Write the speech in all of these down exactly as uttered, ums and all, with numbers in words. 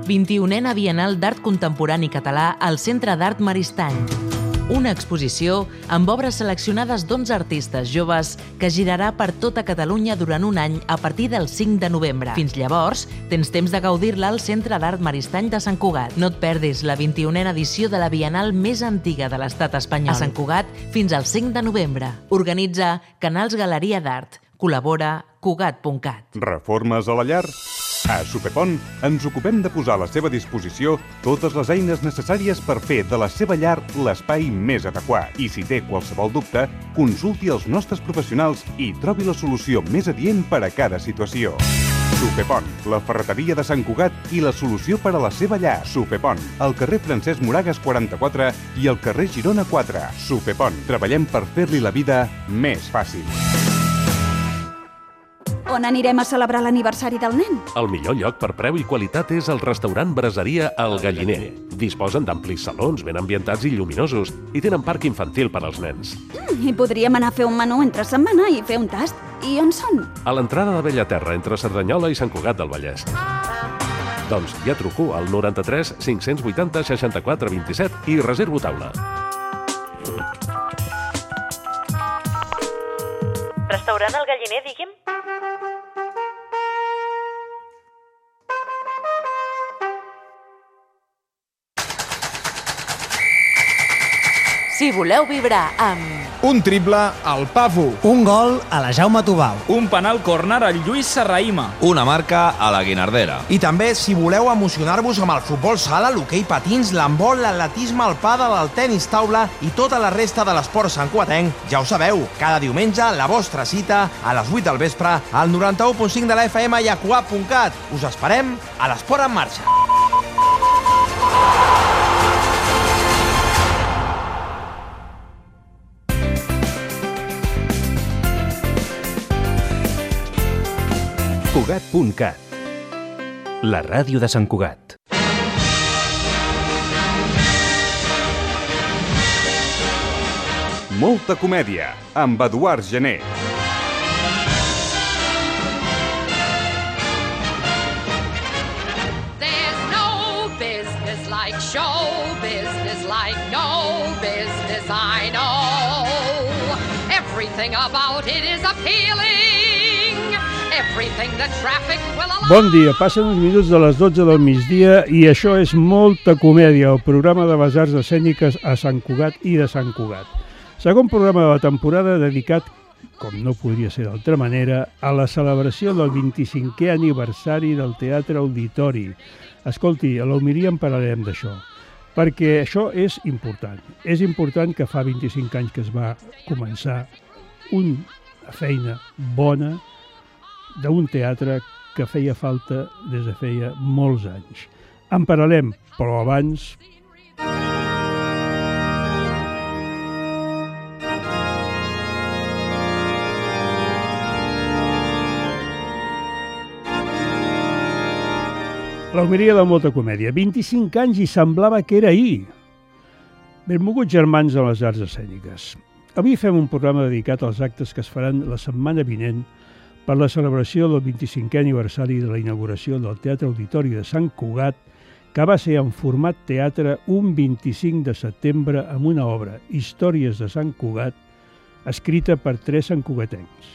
vint-i-unena Bienal d'Art Contemporani Català al Centre d'Art Maristany. Una exposició amb obres seleccionades d'onze artistes joves que girarà per tota Catalunya durant un any a partir del cinc de novembre. Fins llavors, tens temps de gaudir-la al Centre d'Art Maristany de Sant Cugat. No et perdis la vint-i-unena edició de la Bienal més antiga de l'estat espanyol. A Sant Cugat fins al cinc de novembre. Organitza Canals Galeria d'Art. Col·labora Cugat punt cat. Reformes a la llar? A Supepont ens ocupem de posar a la seva disposició totes les eines necessàries per fer de la seva llar l'espai més adequat. I si té qualsevol dubte, consulti els nostres professionals i trobi la solució més adient per a cada situació. Supepont, la ferreteria de Sant Cugat i la solució per a la seva llar. Supepont, al carrer Francesc Moragas quaranta-quatre i al carrer Girona quatre. Supepont, treballem per fer-li la vida més fàcil. On anirem a celebrar l'aniversari del nen? El millor lloc per preu i qualitat és el restaurant Braseria El Galliner. Disposen d'amplis salons ben ambientats i lluminosos i tenen parc infantil per als nens. Mm, I podríem anar a fer un menú entre setmana i fer un tast. I on són? A l'entrada de Bellaterra, entre Cerdanyola i Sant Cugat del Vallès. Doncs ja truco al noranta-tres cinc-cents vuitanta seixanta-quatre vint-i-set i reservo taula. Restaurant El Galliner, digui'm? Si voleu vibrar amb... Un triple al Pafu. Un gol a la Jaume Tubau. Un penal córner al Lluís Serraïma. Una marca a la Guinardera. I també, si voleu emocionar-vos amb el futbol sala, l'hoquei patins, l'handbol, l'atletisme, el pàdel, el tenis taula i tota la resta de l'esport santcugatenc, ja ho sabeu, cada diumenge la vostra cita a les vuit del vespre al noranta-u punt cinc de la F M i a cugat punt cat. Us esperem a l'Esport en Marxa. Cugat punt cat, la ràdio de Sant Cugat. Molta comèdia, amb Eduard Gené. There's no business like show business, like no business I know. Everything about it is appealing. Bon dia, passen uns minuts de les dotze del migdia i això és Molta Comèdia, el programa de les arts escèniques a Sant Cugat i de Sant Cugat. Segon programa de la temporada dedicat, com no podria ser d'altra manera, a la celebració del vint-i-cinquè aniversari del Teatre Auditori. Escolti, a l'Homilia en parlarem d'això, perquè això és important. És important que fa vint-i-cinc anys que es va començar una feina bona d'un teatre que feia falta des de feia molts anys. En parlarem, però abans... L'Homilia de Molta Comèdia. vint-i-cinc anys i semblava que era ahir. Benvolguts germans de les arts escèniques. Avui fem un programa dedicat als actes que es faran la setmana vinent per la celebració del vint-i-cinquè aniversari de la inauguració del Teatre Auditori de Sant Cugat, que va ser en format teatre un vint-i-cinc de setembre amb una obra, Històries de Sant Cugat, escrita per tres santcugatencs,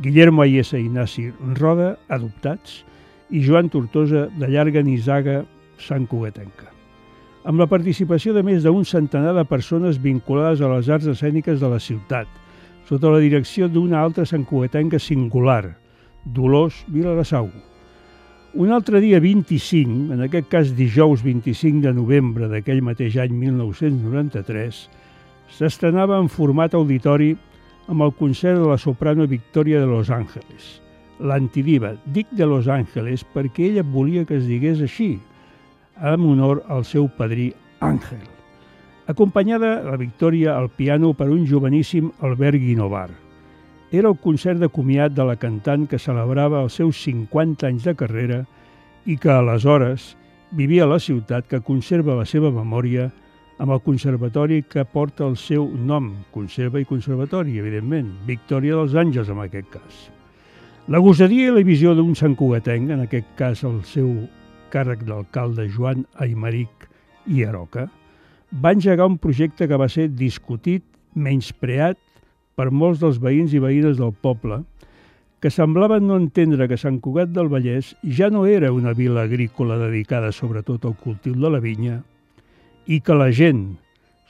Guillermo Ayesa i Ignasi Roda, adoptats, i Joan Tortosa, de llarga nissaga santcugatenca, amb la participació de més d'un centenar de persones vinculades a les arts escèniques de la ciutat, sota la direcció d'una altra santcugatenca singular, Dolors Vilarasau. Un altre dia vint-i-cinc, en aquest cas dijous vint-i-cinc de novembre d'aquell mateix any mil nou-cents noranta-tres, s'estrenava en format auditori amb el concert de la soprano Victoria de Los Ángeles, l'antidiva. Dic de Los Ángeles perquè ella volia que es digués així, en honor al seu padrí Àngel. Acompanyada la Victòria al piano per un joveníssim Albert Guinovar. Era el concert de comiat de la cantant que celebrava els seus cinquanta anys de carrera i que aleshores vivia a la ciutat que conserva la seva memòria amb el conservatori que porta el seu nom, conserva i conservatori, evidentment, Victòria dels Àngels en aquest cas. La gosadia i la visió d'un santcugatenc, en aquest cas el seu càrrec d'alcalde Joan Aymeric i Aroca, va engegar un projecte que va ser discutit, menyspreat per molts dels veïns i veïnes del poble, que semblaven no entendre que Sant Cugat del Vallès ja no era una vila agrícola dedicada sobretot al cultiu de la vinya i que la gent,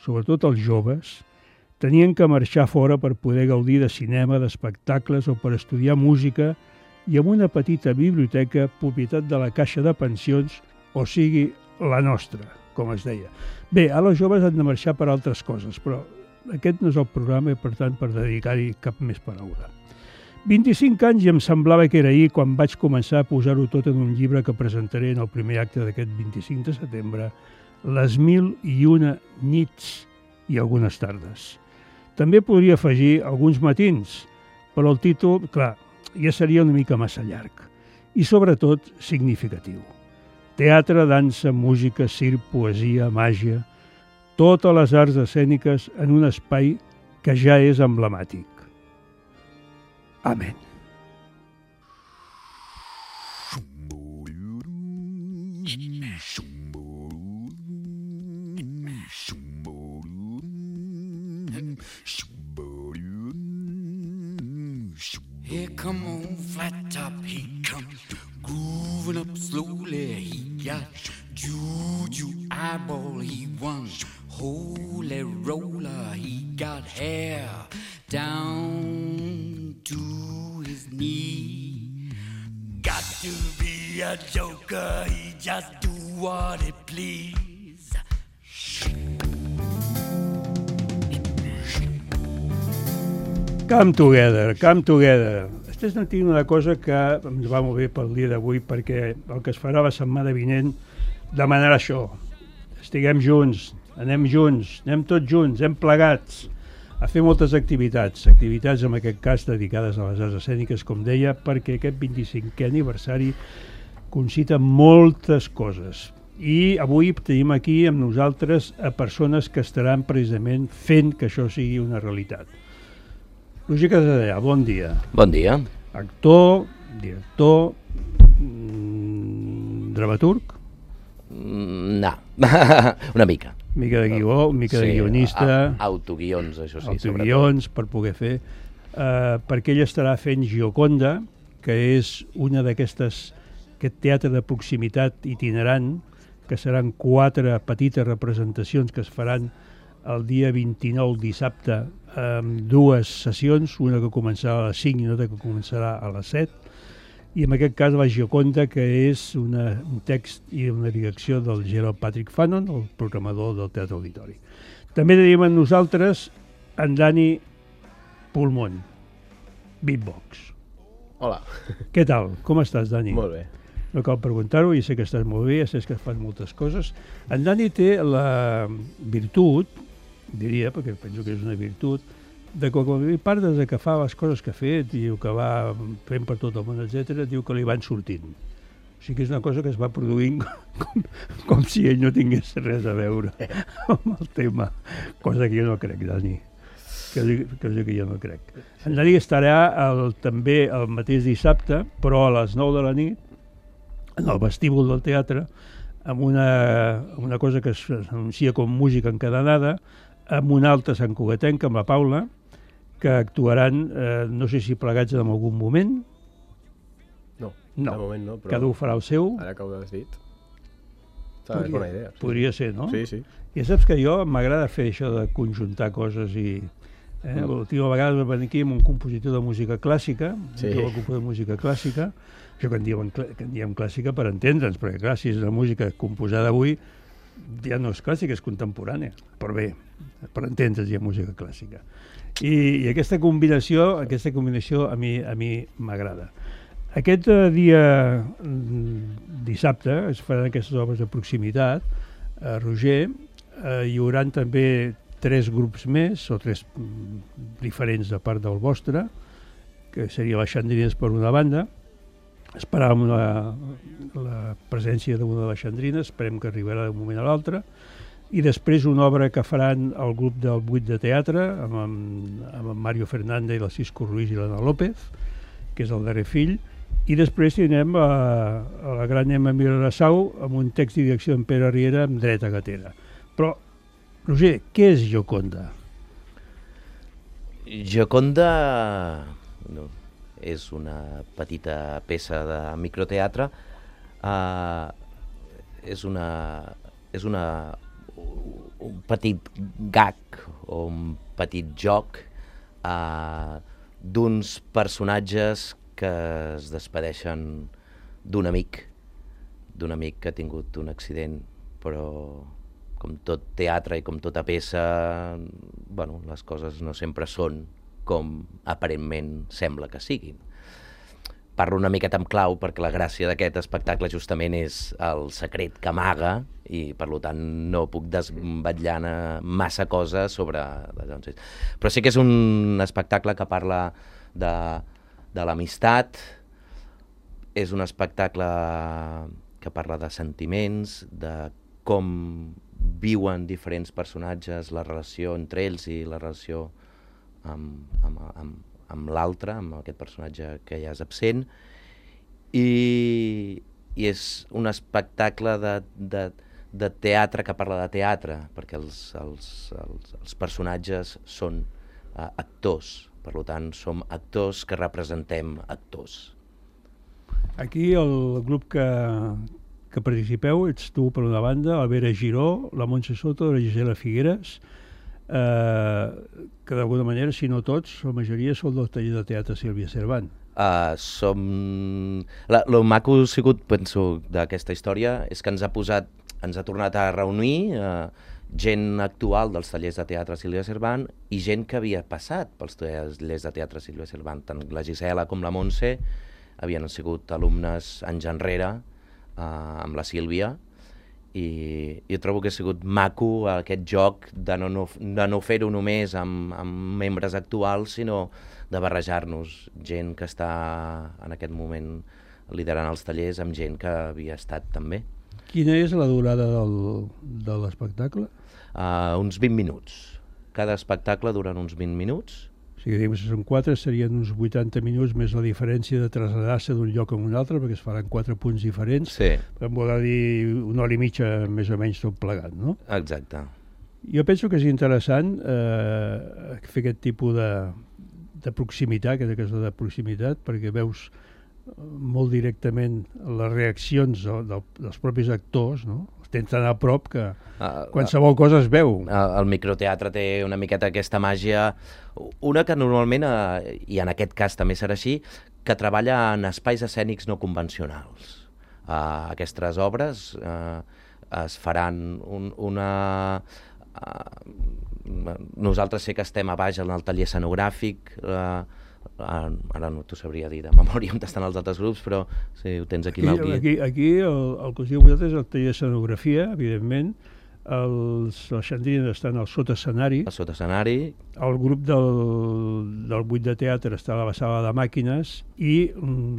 sobretot els joves, tenien que marxar fora per poder gaudir de cinema, d'espectacles o per estudiar música i amb una petita biblioteca propietat de la Caixa de Pensions, o sigui, la nostra, com es deia. Bé, ara els joves han de marxar per altres coses, però aquest no és el programa i, per tant, per dedicar-hi cap més paraula. vint-i-cinc anys i em semblava que era ahir quan vaig començar a posar-ho tot en un llibre que presentaré en el primer acte d'aquest vint-i-cinc de setembre, Les mil i una nits i algunes tardes. També podria afegir alguns matins, però el títol, clar, ja seria una mica massa llarg i, sobretot, significatiu. Teatre, dansa, música, circ, poesia, màgia, totes les arts escèniques en un espai que ja és emblemàtic. Amén. Here come on flat top, he comes grooving up slowly. He got juju eyeball, he won holy roller. He got hair down to his knee. Got to be a joker, he just do what he please. Come together, come together. Estem sentint una cosa que ens va molt bé pel dia d'avui, perquè el que es farà la setmana vinent demanarà això. Estiguem junts, anem junts, anem tots junts, anem plegats a fer moltes activitats, activitats en aquest cas dedicades a les arts escèniques, com deia, perquè aquest vint-i-cinquè aniversari concita moltes coses. I avui tenim aquí amb nosaltres a persones que estaran precisament fent que això sigui una realitat. Roger Casadellà, bon dia. Bon dia. Actor, director, mmm, dramaturg? Mm, no, una mica. Mica de guió, mica sí, de guionista. Autoguions, això sí. Autoguions, per poder fer. Uh, perquè ell estarà fent Gioconda, que és una d'aquestes, aquest teatre de proximitat itinerant, que seran quatre petites representacions que es faran el dia vint-i-nou, dissabte, amb dues sessions, una que començarà a les cinc i una que començarà a les set, i en aquest cas la Gioconda, que és una, un text i una direcció del Gerald Patrick Fanon, el programador del Teatre Auditori. També tenim amb nosaltres en Dani Pulmón, beatbox. Hola. Què tal? Com estàs, Dani? Molt bé. No cal preguntar-ho, ja sé que estàs molt bé, ja sé que fan moltes coses. En Dani té la virtut, diria, perquè penso que és una virtut, de que quan li parles de que fa les coses que ha fet, diu que va fent per tot el món, etcètera, diu que li van sortint. O sigui que és una cosa que es va produint com, com si ell no tingués res a veure amb el tema, cosa que jo no crec, Dani. Que, que, que jo no crec. En Dani estarà el, també el mateix dissabte, però a les nou de la nit, en el vestíbul del teatre, amb una, una cosa que s'anuncia com música encadenada, amb una altra santcugatenca, amb la Paula, que actuaran, eh, no sé si plegats en algun moment. No, no. de moment no. Però cada un farà el seu. Ara que ho has dit, és bona idea. Sí. Podria ser, no? Sí, sí. Ja saps que jo m'agrada fer això de conjuntar coses i... Eh? Mm. L'última vegada vam venir aquí amb un compositor de música clàssica, sí. Un compositor de música clàssica, això que en diem, que en diem clàssica per entendre'ns, perquè clar, si és una música composada avui, ja no és clàssica, és contemporània, però bé, per entendre's hi ha música clàssica. I, i aquesta combinació, aquesta combinació a mi a mi m'agrada. Aquest eh, dia dissabte es faran aquestes obres de proximitat a Roger, eh, hi haurà també tres grups més, o tres diferents de part del vostre, que seria les Xandrines per una banda. Esperàvem la, la presència d'una de les Xandrines, esperem que arribarà d'un moment a l'altre, i després una obra que faran el grup del vuit de teatre, amb, amb, amb en Mario Fernández i la Cisco Ruiz i l'Anna López, que és el darrer fill, I després tindrem a, a la gran Emma Vilarasau amb un text i direcció d'en Pere Riera amb dreta gatera. Però, Roger, què és Gioconda? Gioconda no, és una petita peça de microteatre. Uh, és una... és una un petit gag o un petit joc uh, d'uns personatges que es despedeixen d'un amic, d'un amic que ha tingut un accident, però com tot teatre i com tota peça, bueno, les coses no sempre són com aparentment sembla que siguin. Parlo una miqueta amb clau perquè la gràcia d'aquest espectacle justament és el secret que amaga i per tant no puc desvetllar massa cosa sobre... Però sí que és un espectacle que parla de, de l'amistat, és un espectacle que parla de sentiments, de com viuen diferents personatges, la relació entre ells i la relació amb, amb, amb, amb l'altre, amb aquest personatge que ja és absent, i, i és un espectacle de, de, de teatre que parla de teatre, perquè els, els, els, els personatges són uh, actors, per tant som actors que representem actors. Aquí el grup que, que participeu ets tu per una banda, la Vera Giró, la Montse Soto, la Gisela Figueres, Uh, que d'alguna manera, si no tots, la majoria són del taller de teatre Sílvia Cervant. Uh, som... La, lo maco ha sigut, penso, d'aquesta història és que ens ha posat, ens ha tornat a reunir uh, gent actual dels tallers de teatre Sílvia Cervant i gent que havia passat pels tallers de teatre Sílvia Cervant. Tant la Gisela com la Montse havien sigut alumnes anys enrere uh, amb la Sílvia, i jo trobo que ha sigut maco aquest joc de no, no, de no fer-ho només amb, amb membres actuals, sinó de barrejar-nos gent que està en aquest moment liderant els tallers amb gent que havia estat també. Quina és la durada del, de l'espectacle? Uh, uns vint minuts. Cada espectacle dura uns vint minuts. O sigui, diguem, si són quatre, serien uns vuitanta minuts més la diferència de traslladar-se d'un lloc a un altre, perquè es faran quatre punts diferents. Sí. Em vol dir una hora i mitja més o menys tot plegat, no? Exacte. Jo penso que és interessant eh, fer aquest tipus de, de proximitat, aquesta cosa de proximitat, perquè veus molt directament les reaccions de, de, dels propis actors, no? Tens tan a prop que uh, qualsevol cosa es veu. Uh, el microteatre té una miqueta aquesta màgia, una que normalment, uh, i en aquest cas també serà així, que treballa en espais escènics no convencionals. Uh, aquestes obres uh, es faran un, una... Uh, nosaltres sé que estem a baix en el taller escenogràfic, uh, ara no t'ho sabria dir de memòria on estan els altres grups, però si ho tens aquí, aquí mal guia. Aquí, aquí el, el que us diu vosaltres és el taller d'escenografia, evidentment, els, els xandrines estan al sota escenari, al sota escenari, el grup del, del buit de teatre està a la sala de màquines i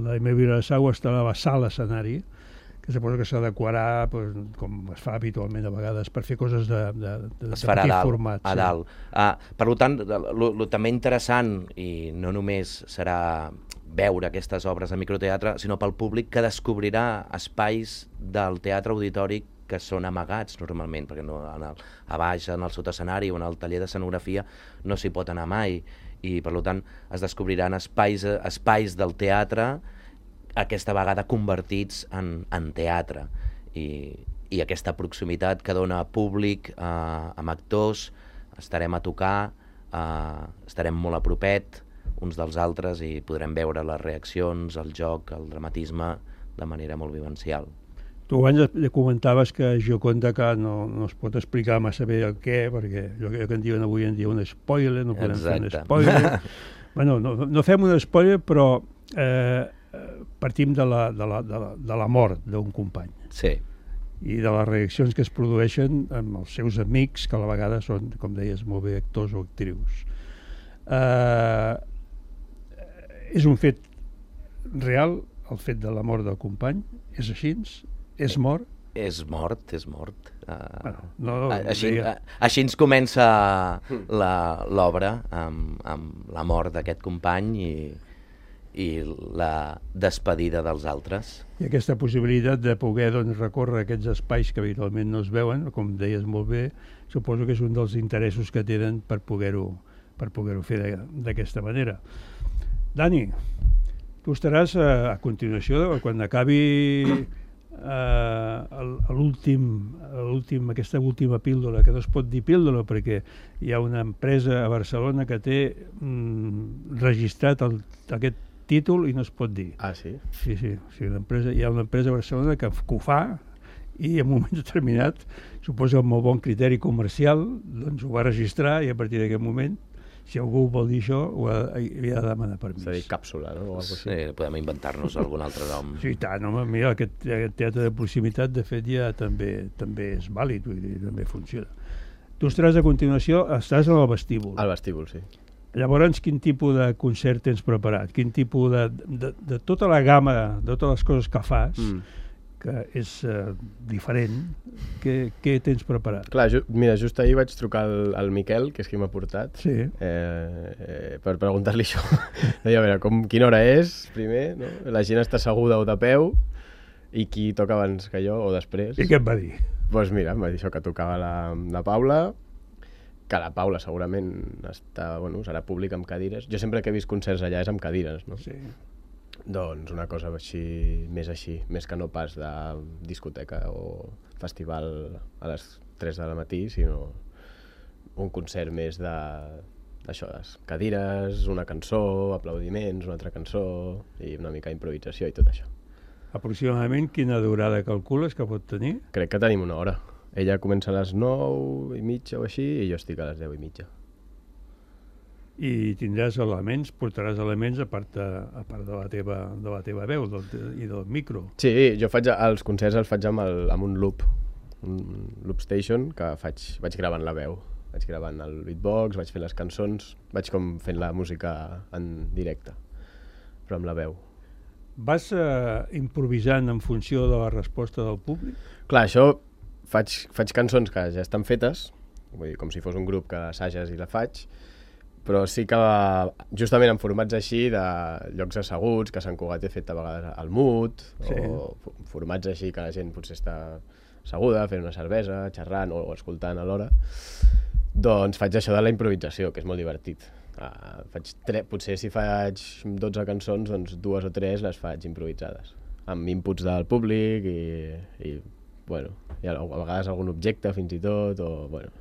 la Emma Vilarasau està a la sala escenari, que suposo que s'adequarà, pues, com es fa habitualment a vegades, per fer coses de, de, de, de petit dalt, format. A sí. dalt. Uh, per tant, el també interessant, i no només serà veure aquestes obres de microteatre, sinó pel públic que descobrirà espais del teatre auditori que són amagats normalment, perquè no, en el, a baix, en el sotescenari o en el taller d'escenografia no s'hi pot anar mai, i per tant es descobriran espais, espais del teatre aquesta vegada convertits en, en teatre, i, i aquesta proximitat que dona públic eh, amb actors, estarem a tocar, eh, estarem molt a propet uns dels altres i podrem veure les reaccions, el joc, el dramatisme de manera molt vivencial. Tu abans comentaves que Gioconda que no, no es pot explicar massa bé el què, perquè allò que en diuen avui en dia un spoiler, no podem Exacte. fer un spoiler. bueno, no, no fem un spoiler, però eh, partim de la, de, la, de, la, de la mort d'un company. Sí. I de les reaccions que es produeixen amb els seus amics, que a la vegada són, com deies, molt bé actors o actrius. Eh, és un fet real, el fet de la mort del company? És així? És mort? És mort, és mort. Uh, bueno, no, així, deia... així ens comença l'obra, amb, amb la mort d'aquest company, i, i la despedida dels altres. I aquesta possibilitat de poder doncs, recórrer aquests espais que habitualment no es veuen, com deies molt bé, suposo que és un dels interessos que tenen per poder-ho per poder-ho fer d'aquesta manera. Dani, tu estaràs a, a continuació, quan acabi eh, l'últim, l'últim, aquesta última píldora, que no es pot dir píldora perquè hi ha una empresa a Barcelona que té mm, registrat el, aquest títol i no es pot dir. Ah, sí? Sí, sí, sí una empresa, hi ha una empresa a Barcelona que, que ho fa i en un moment determinat, suposo amb molt bon criteri comercial, doncs ho va registrar i a partir d'aquest moment, si algú vol dir això, ho ha, havia de demanar permís. És a dir, càpsula, no? O algo així. Sí, podem inventar-nos algun altre nom. Sí, tant, home, mira, aquest, aquest teatre de proximitat, de fet, ja també també és vàlid, vull dir, també funciona. Tu estaràs a continuació, estàs en el vestíbul. Al vestíbul, sí. Llavors, quin tipus de concert tens preparat? Quin tipus de... de, de tota la gamma, de totes les coses que fas, mm. que és uh, diferent, què, què tens preparat? Clar, ju mira, just ahir vaig trucar al, al Miquel, que és qui m'ha portat, sí. eh, eh, per preguntar-li això. Deia, a veure, com, quina hora és, primer, no? La gent està asseguda o de peu, i qui toca abans que jo o després. I què et va dir? Doncs pues mira, em va dir això, que tocava la, la Paula, que la Paula segurament està, bueno, serà públic amb cadires. Jo sempre que he vist concerts allà és amb cadires, no? Sí. Doncs una cosa així, més així, més que no pas de discoteca o festival a les tres de la matí, sinó un concert més de d'això, cadires, una cançó, aplaudiments, una altra cançó i una mica improvisació i tot això. Aproximadament quina durada calcules que pot tenir? Crec que tenim una hora. Ella comença a les nou i mitja o així i jo estic a les deu i mitja. I tindràs elements, portaràs elements a part de, a part de, la, teva, de la teva veu del, i del micro. Sí, jo faig els concerts els faig amb, el, amb un loop, un loop station, que faig, vaig gravant la veu. Vaig gravant el beatbox, vaig fent les cançons, vaig com fent la música en directe, però amb la veu. Vas eh, improvisant en funció de la resposta del públic? Clar, això faig, faig cançons que ja estan fetes, vull dir, com si fos un grup que assages i la faig, però sí que justament en formats així de llocs asseguts, que Sant Cugat he fet a vegades al Mut, sí. O formats així que la gent potser està asseguda, fent una cervesa, xerrant o escoltant alhora, doncs faig això de la improvisació, que és molt divertit. Uh, faig tre... Potser si faig dotze cançons, doncs dues o tres les faig improvisades, amb inputs del públic i, i bueno, i a vegades algun objecte fins i tot, o bueno...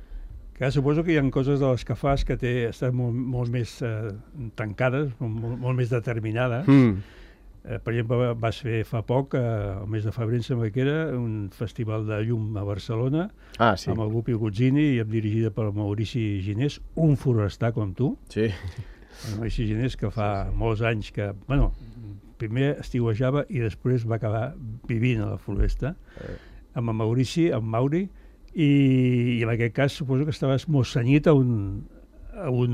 Que suposo que hi ha coses de les que fas que té, estan molt, molt més eh, tancades, molt, molt més determinades. Mm. Eh, per exemple, vas fer fa poc, eh, el mes de febrer, em sembla que era, un festival de llum a Barcelona, ah, sí. Amb el Gupi Guzzini i dirigida per Maurici Ginés, un forestar com tu. Sí. El Maurici Ginés, que fa sí, sí. molts anys que... Bueno, primer estiuejava i després va acabar vivint a la floresta, eh. amb el Maurici, amb Mauri, i, i en aquest cas suposo que estaves molt senyit a un, a un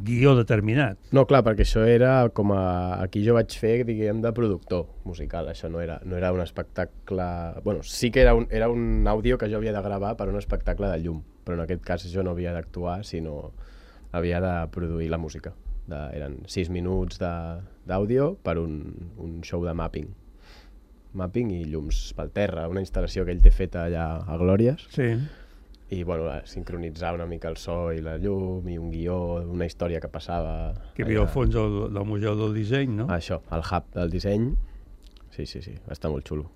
guió determinat. No, clar, perquè això era com a... Aquí jo vaig fer, diguem, de productor musical. Això no era, no era un espectacle... Bueno, sí que era un, era un àudio que jo havia de gravar per un espectacle de llum, però en aquest cas jo no havia d'actuar, sinó havia de produir la música. De, eren sis minuts d'àudio per un, un show de mapping. mapping i llums pel terra, una instal·lació que ell té feta allà a Glòries. Sí. I bueno, sincronitzar una mica el so i la llum i un guió, una història que passava... Que hi havia al fons del, del Museu del Disseny, no? Això, el hub del disseny. Sí, sí, sí, està molt xulo.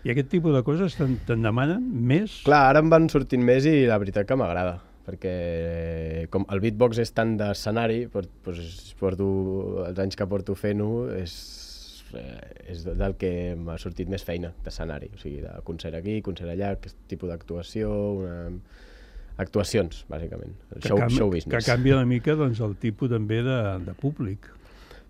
I aquest tipus de coses te'n te demanen més? Clar, ara em van sortint més i la veritat que m'agrada, perquè com el beatbox és tant d'escenari, doncs porto, els anys que porto fent-ho, és... és del que m'ha sortit més feina d'escenari, o sigui, de concert aquí, concert allà, aquest tipus d'actuació, una... actuacions, bàsicament, el show, show business. Que canvia una mica doncs, el tipus també de, de públic.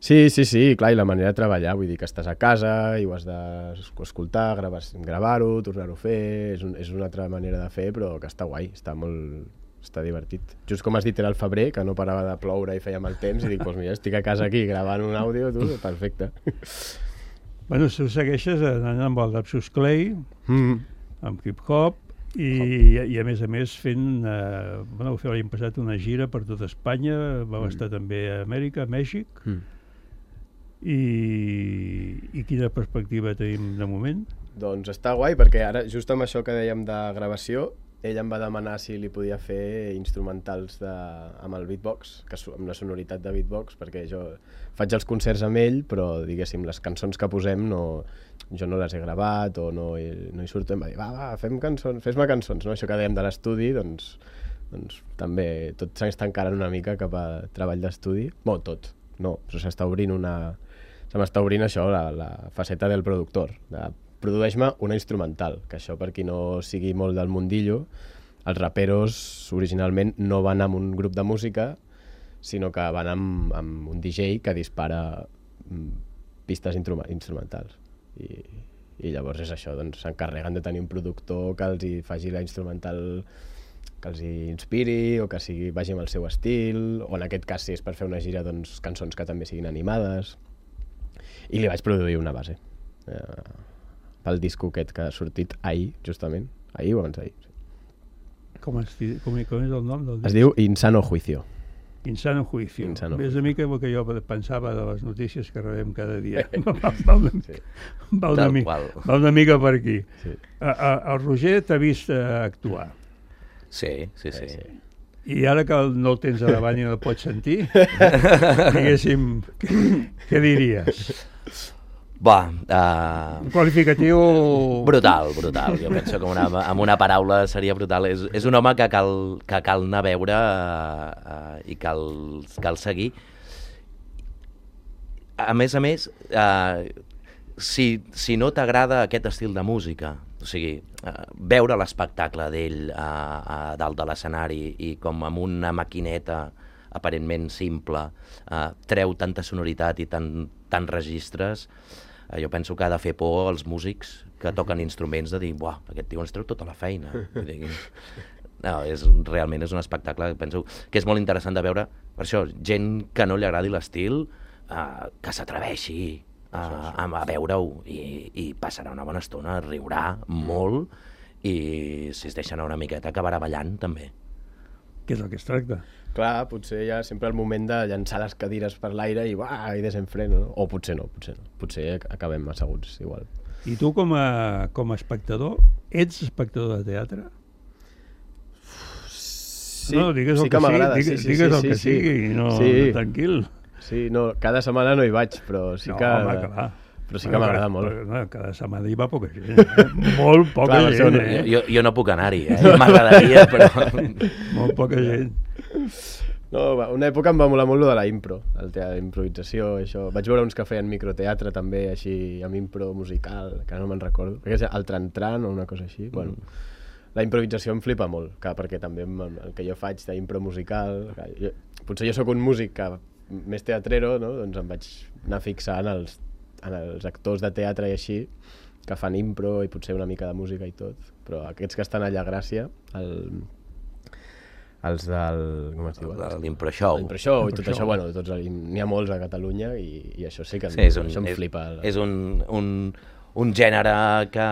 Sí, sí, sí, clar, i la manera de treballar, vull dir que estàs a casa i ho has d'escoltar, gravar-ho, tornar-ho a fer, és, un, és una altra manera de fer, però que està guai, està molt... està divertit. Just com has dit, era el febrer, que no parava de ploure i feia mal temps, i dic, doncs mira, estic a casa aquí gravant un àudio, tu, perfecte. Bueno, tu segueixes anant amb el Lapsus Clay, mm. amb hip-hop, i, i a més a més fent, eh, bueno, vau fer l'any passat una gira per tot Espanya, vau mm. estar també a Amèrica, a Mèxic. Mm. I, i quina perspectiva tenim de moment? Doncs està guai, perquè ara, just amb això que dèiem de gravació, ell em va demanar si li podia fer instrumentals de, amb el beatbox, que, amb la sonoritat de beatbox, perquè jo faig els concerts amb ell, però diguéssim, les cançons que posem no, jo no les he gravat o no, he, no hi surto. Em va dir, va, va, fem cançons, fes-me cançons, no? Això que dèiem de l'estudi, doncs, doncs també tot s'està encarant una mica cap a treball d'estudi. Bé, tot, no, però s'està obrint una... Se m'està obrint això, la, la faceta del productor, de produeix-me una instrumental, que això per qui no sigui molt del mundillo, els raperos originalment no van amb un grup de música, sinó que van amb, amb un D J que dispara pistes instrumentals. I, i llavors és això, doncs s'encarreguen de tenir un productor que els hi faci la instrumental que els hi inspiri o que sigui, vagi amb el seu estil, o en aquest cas si és per fer una gira, doncs cançons que també siguin animades. I li vaig produir una base eh, pel disco aquest que ha sortit ahir, justament. Ahir o abans d'ahir. Sí. Com, es, com, com és el nom del disc? Es diu Insano Juicio. Insano Juicio. Insano És una mica el que jo pensava de les notícies que rebem cada dia. va, una, sí. va, una mica, va una mica per aquí. Sí. A, a, el Roger t'ha vist actuar. Sí, sí, sí. sí. I ara que no el tens a davant i no el pots sentir, diguéssim, què, què diries? Va, uh... un qualificatiu... Brutal, brutal. Jo penso que una, amb una paraula seria brutal. És, és un home que cal, que cal anar a veure uh, uh, i cal, cal seguir. A més a més, uh, si, si no t'agrada aquest estil de música, o sigui, uh, veure l'espectacle d'ell uh, uh, dalt de l'escenari i com amb una maquineta aparentment simple uh, treu tanta sonoritat i tant, tant registres, uh, jo penso que ha de fer por als músics que toquen instruments de dir, buah, aquest tio ens treu tota la feina. No, és, realment és un espectacle, penso que és molt interessant de veure, per això, gent que no li agradi l'estil, uh, que s'atreveixi A, a, a veure-ho i, i passarà una bona estona, riurà molt i si es deixa anar una miqueta acabarà ballant també. Què és el que es tracta? Clar, potser hi ha sempre el moment de llançar les cadires per l'aire i va, i desenfreno, no? O potser no, potser no. Potser acabem asseguts igual. I tu com a, com a espectador, ets espectador de teatre? Sí, no, digues sí el que, que m'agrada. sigui, digues, sí, sí, digues sí, el que sí, sigui, sí. no, sí. no tranquil. Sí, no, cada setmana no hi vaig, però sí no, que... Home, clar. Però sí que m'agrada molt. Però, no, cada setmana hi va poca gent, eh? Molt poca clar, gent, eh? Jo, jo no puc anar-hi, eh? M'agradaria, però... Molt poca gent. No, una època em va molar molt lo de la impro, el teatre d'improvisació, això. Vaig veure uns que feien microteatre també, així, amb impro musical, que no me'n recordo. Perquè és el tran-tran o una cosa així. Mm. Bueno, la improvisació em flipa molt, que perquè també el que jo faig d'impro musical... Jo, potser jo sóc un músic que més teatrero, no? Doncs em vaig anar a fixar en els, en els actors de teatre i així, que fan impro i potser una mica de música i tot, però aquests que estan allà a Gràcia, el, els del... com es diu? L'Impro Show. L'Impro Show i tot això, bueno, tots, n'hi ha molts a Catalunya i, i això sí que sí, és un, això em és, flipa. És un, un, un gènere que,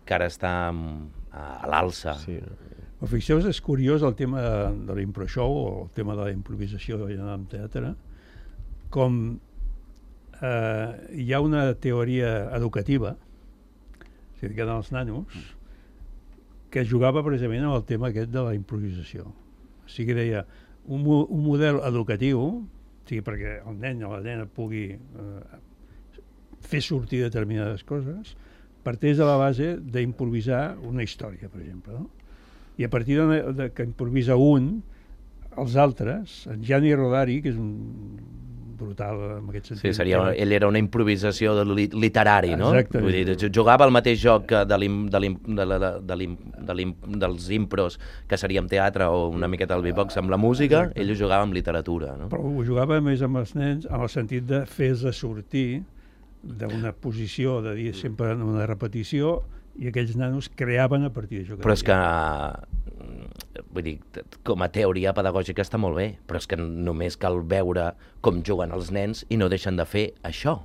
que ara està a l'alça. Sí, no? Però fixeu-vos, és curiós el tema de l'Impro Show o el tema de la improvisació en teatre, com eh, hi ha una teoria educativa, o sigui, que eren els nanos, que jugava precisament amb el tema aquest de la improvisació. O sigui, deia, un, un model educatiu, o sigui, perquè el nen o la nena pugui eh, fer sortir determinades coses, parteix de la base d'improvisar una història, per exemple, no? I a partir de, de que improvisa un, els altres, en Gianni Rodari, que és un brutal en aquest sentit. Sí, seria, ell era una improvisació de li, literari, no? Exactament. Vull dir, jugava el mateix joc de l'im, de l'im, de la, de l'im, de l'im, dels impros, que seria amb teatre o una miqueta del beatbox, amb la música, exacte. Ell ho jugava amb literatura, no? Però ho jugava més amb els nens, en el sentit de fer-se sortir d'una posició, de dir sempre una repetició, i aquells nanos creaven a partir d'això. Però és que, vull dir, com a teoria pedagògica està molt bé, però és que només cal veure com juguen els nens i no deixen de fer això.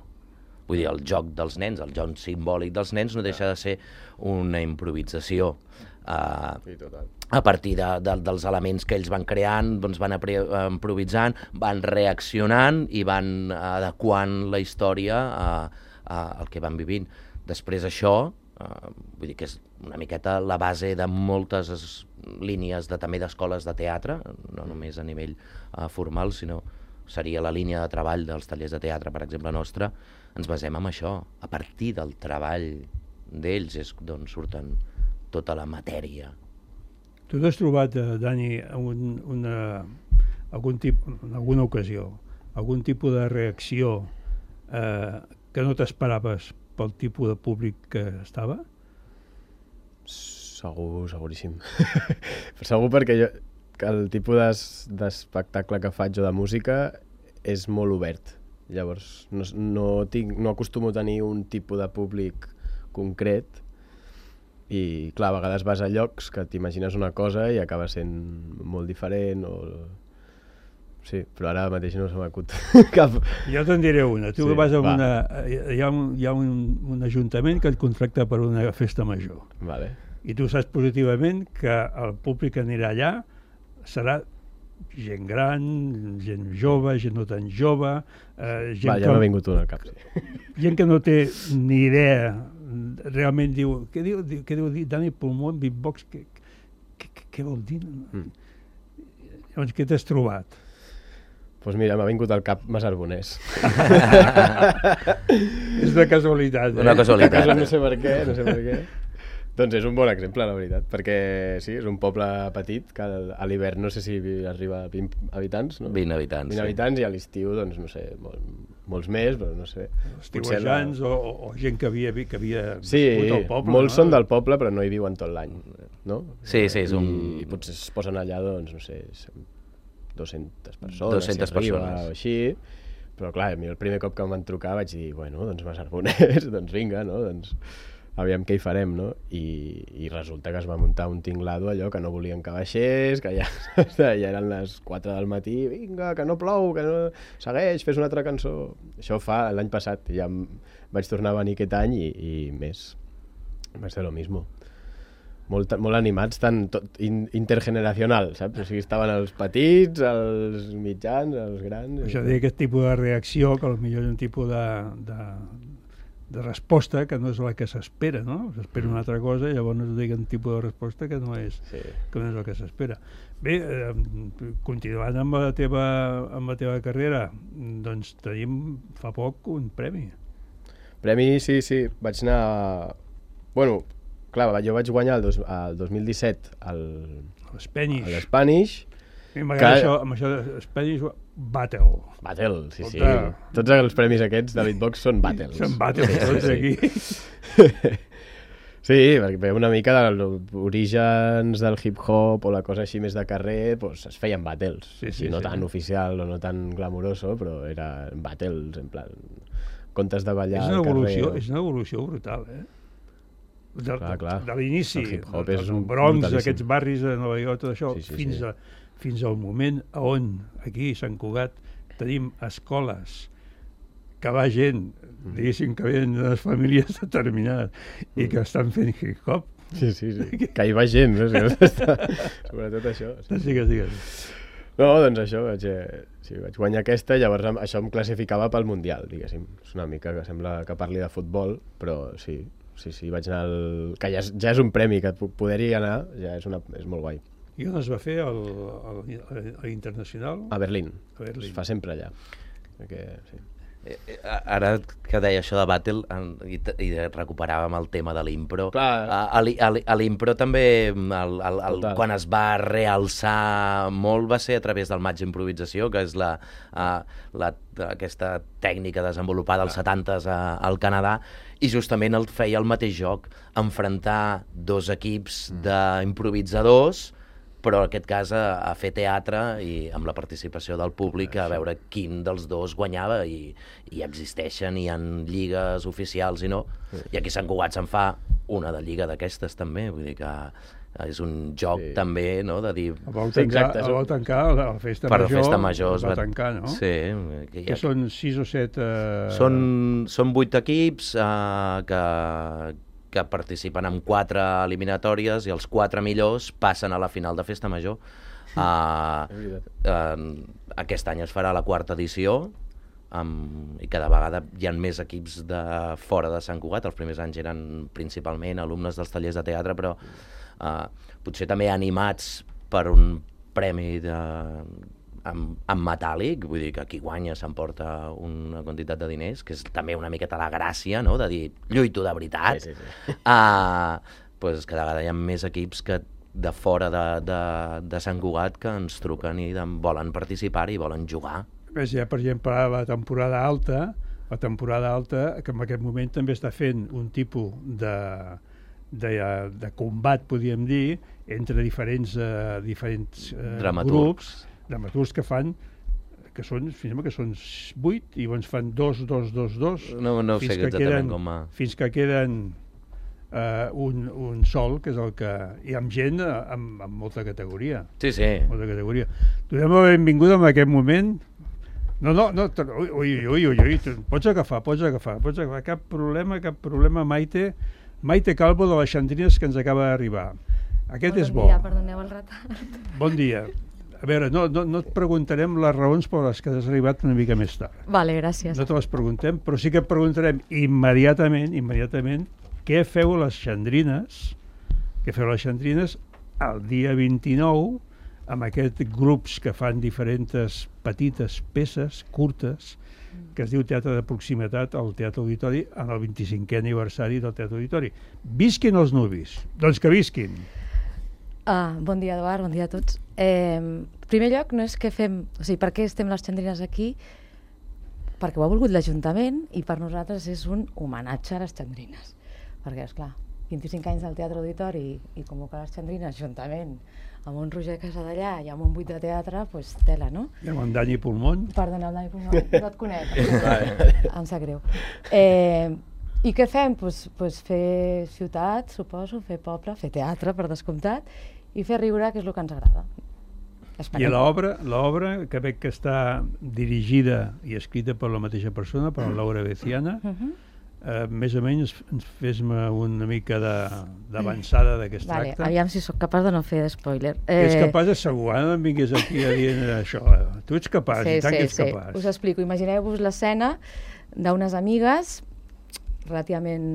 Vull dir, el joc dels nens, el joc simbòlic dels nens no deixa de ser una improvisació. Uh, sí, total. A partir de, de, dels elements que ells van creant, doncs van apre, improvisant, van reaccionant i van adequant la història a, a, al que van vivint. Després això, uh, vull dir que és una miqueta la base de moltes línies de, també d'escoles de teatre, no només a nivell uh, formal, sinó seria la línia de treball dels tallers de teatre, per exemple, nostra. Ens basem en això. A partir del treball d'ells és d'on surten tota la matèria. Tu t'has trobat, eh, Dani, un, una, algun tip, en alguna ocasió, algun tipus de reacció eh, que no t'esperaves pel tipus de públic que estava? Segur, seguríssim. Segur perquè jo, que el tipus d'espectacle que faig o de música és molt obert. Llavors, no, no, tinc, no acostumo a tenir un tipus de públic concret i, clar, a vegades vas a llocs que t'imagines una cosa i acaba sent molt diferent o... Sí, però ara mateix no se m'acut cap... Jo te'n diré una. Tu sí, vas a va. una... Hi ha, un, hi ha un, un ajuntament que et contracta per una festa major. Vale. I tu saps positivament que el públic que anirà allà serà gent gran, gent jove, gent no tan jove... Eh, gent Va, ja que, m'ha vingut una al cap, sí. Gent que no té ni idea, realment diu... Què diu, què diu Dani Pulmó en beatbox? Què, què, què vol dir? Mm. Llavors, què t'has trobat? Doncs pues mira, m'ha vingut al cap Masarbonès. És una casualitat, eh? Una casualitat. No sé per què, no sé per què. Doncs és un bon exemple, la veritat, perquè sí, és un poble petit, que a l'hivern no sé si arriba a vint habitants, no? vint habitants, vint sí. habitants i a l'estiu, doncs, no sé, molt, molts més, però no sé. Estiuejants la... o, o gent que havia, que havia sí, viscut al poble, molts no? són del poble, però no hi viuen tot l'any, no? Sí, sí, és un... I, i potser es posen allà, doncs, no sé, dues-centes persones, dues-centes si arriba, persones. O així, però clar, a mi el primer cop que em van trucar vaig dir, bueno, doncs Masarbonès, doncs vinga, no? Doncs aviam què hi farem, no? I, i resulta que es va muntar un tinglado allò que no volien que baixés, que ja, ja eren les quatre del matí, vinga, que no plou, que no... Segueix, fes una altra cançó. Això fa l'any passat, ja vaig tornar a venir aquest any i, i més. Va ser lo mismo. Molt, molt animats, tant tot, in, intergeneracional, saps? O sigui, estaven els petits, els mitjans, els grans... Això dir aquest tipus de reacció, que potser és un tipus de, de, de resposta que no és la que s'espera, no? S'espera una altra cosa i llavors es diu un tipus de resposta que no és, sí. que no és el que s'espera. Bé, eh, continuant amb la, teva, amb la teva carrera, doncs tenim fa poc un premi. Premi, sí, sí. Vaig anar... Bueno, clar, jo vaig guanyar el, dos, el dos mil disset al l'Spanish. l'Spanish. M'agrada que... això, amb això de Spanish Battle. Battle, sí, sí. Tota... Tots els premis aquests de beatbox són battles. Són battles, sí, tots sí, aquí. Sí. Sí, perquè una mica dels orígens del hip-hop o la cosa així més de carrer, pues, es feien battles. Sí, sí, no sí. tan oficial o no tan glamuroso, però eren battles, en plan, contes de ballar és una al evolució, carrer. És una evolució brutal, eh? De, clar, clar. de l'inici, el hip-hop del, és del un Bronx, brutalíssim. aquests barris de Nova York, tot això, sí, sí, fins, sí. A, fins al moment on aquí a Sant Cugat tenim escoles que va gent, diguéssim que venen de les famílies determinades i que estan fent hip-hop. Sí, sí, sí. Que hi va gent, no? Sobretot això. Sí, sí, sí. No, doncs això, vaig, eh, sí, vaig guanyar aquesta, llavors això em classificava pel Mundial, diguéssim. És una mica que sembla que parli de futbol, però sí, sí, sí, vaig anar al... que ja és, ja és un premi, que poder-hi anar ja és, una, és molt guai. I on es va fer el, el, el, el internacional? A Berlín. A Berlín. Es fa sempre allà. Perquè, sí. Ara que deia això de Battle i, i recuperàvem el tema de l'impro, a, a l'impro també el, el, el, quan es va realçar molt va ser a través del match improvisació, que és la, la, aquesta tècnica desenvolupada als setantes al Canadà, i justament el feia el mateix joc, enfrontar dos equips d'improvisadors, però en aquest cas a, a fer teatre i amb la participació del públic a veure quin dels dos guanyava, i, i existeixen, hi ha lligues oficials i no, i aquí a Sant Cugat se'n fa una de lliga d'aquestes també, vull dir que, és un joc sí. també, no?, de dir... El vau tancar, sí, el vau tancar la festa per major, la festa major el vau tancar, no? Sí. Que, que són sis o set... Eh... Són, són vuit equips eh, que, que participen en quatre eliminatòries i els quatre millors passen a la final de festa major. Uh, uh, aquest any es farà la quarta edició, Um, i cada vegada hi ha més equips de fora de Sant Cugat. Els primers anys eren principalment alumnes dels tallers de teatre, però uh, potser també animats per un premi de, en, en metàl·lic, vull dir que qui guanya s'emporta una quantitat de diners, que és també una miqueta la gràcia, no?, de dir, lluito de veritat. Sí, sí, sí. Uh, pues cada vegada hi ha més equips que de fora de, de, de Sant Cugat que ens truquen i de, volen participar i volen jugar. Més ja, per exemple, la temporada alta, la temporada alta, que en aquest moment també està fent un tipus de, de, de combat, podríem dir, entre diferents, uh, diferents uh, grups, dramaturgs que fan, que són, fins que són vuit, i llavors fan dos, dos, dos, dos, no, no fins, sé que queden, com a... fins que queden uh, un, un sol, que és el que... I amb gent amb, amb molta categoria. Sí, sí. Molta categoria. Donem la benvinguda en aquest moment. No, no, no, ui, ui, ui, ui, pots agafar, pots agafar, pots agafar, cap problema, cap problema, Maite, Maite Calvo de les Xandrines, que ens acaba d'arribar. Aquest és bo. Bon dia, perdoneu el retard. Bon dia. A veure, no, no, no et preguntarem les raons per les que has arribat una mica més tard. Vale, gràcies. No te les preguntem, però sí que et preguntarem immediatament, immediatament, què feu les Xandrines, què feu les Xandrines el dia vint-i-nou, amb aquests grups que fan diferents petites peces, curtes, que es diu Teatre de Proximitat al Teatre Auditori en el vint-i-cinquè aniversari del Teatre Auditori. Visquin els nuvis. Doncs que visquin. Uh, bon dia, Eduard, bon dia a tots. Eh, en primer lloc, no és que fem... O sigui, per què estem les Xandrines aquí? Perquè ho ha volgut l'Ajuntament i per nosaltres és un homenatge a les Xandrines. Perquè, esclar, vint-i-cinc anys del Teatre Auditori i convocar les Xandrines, Ajuntament, amb un Roger Casadellà i amb un buit de teatre, doncs tela, no? I amb en Dani Pulmón. Perdona, el Dani Pulmón, no et conec. Em sap greu. Eh, I què fem? Doncs pues, pues fer ciutat, suposo, fer poble, fer teatre, per descomptat, i fer riure, que és el que ens agrada. Esperem. I l'obra, l'obra que veig que està dirigida i escrita per la mateixa persona, per la Laura Beciana, uh-huh. Uh, més o menys ens fes-me una mica d'avançada de què es vale, tracta. Aviam si sóc capaç de no fer spoiler. Eh... És capaç de segur, no em vinguis aquí a dir això. Tu ets capaç, sí, i tant sí, que ets sí. capaç. Us explico, imagineu-vos l'escena d'unes amigues relativament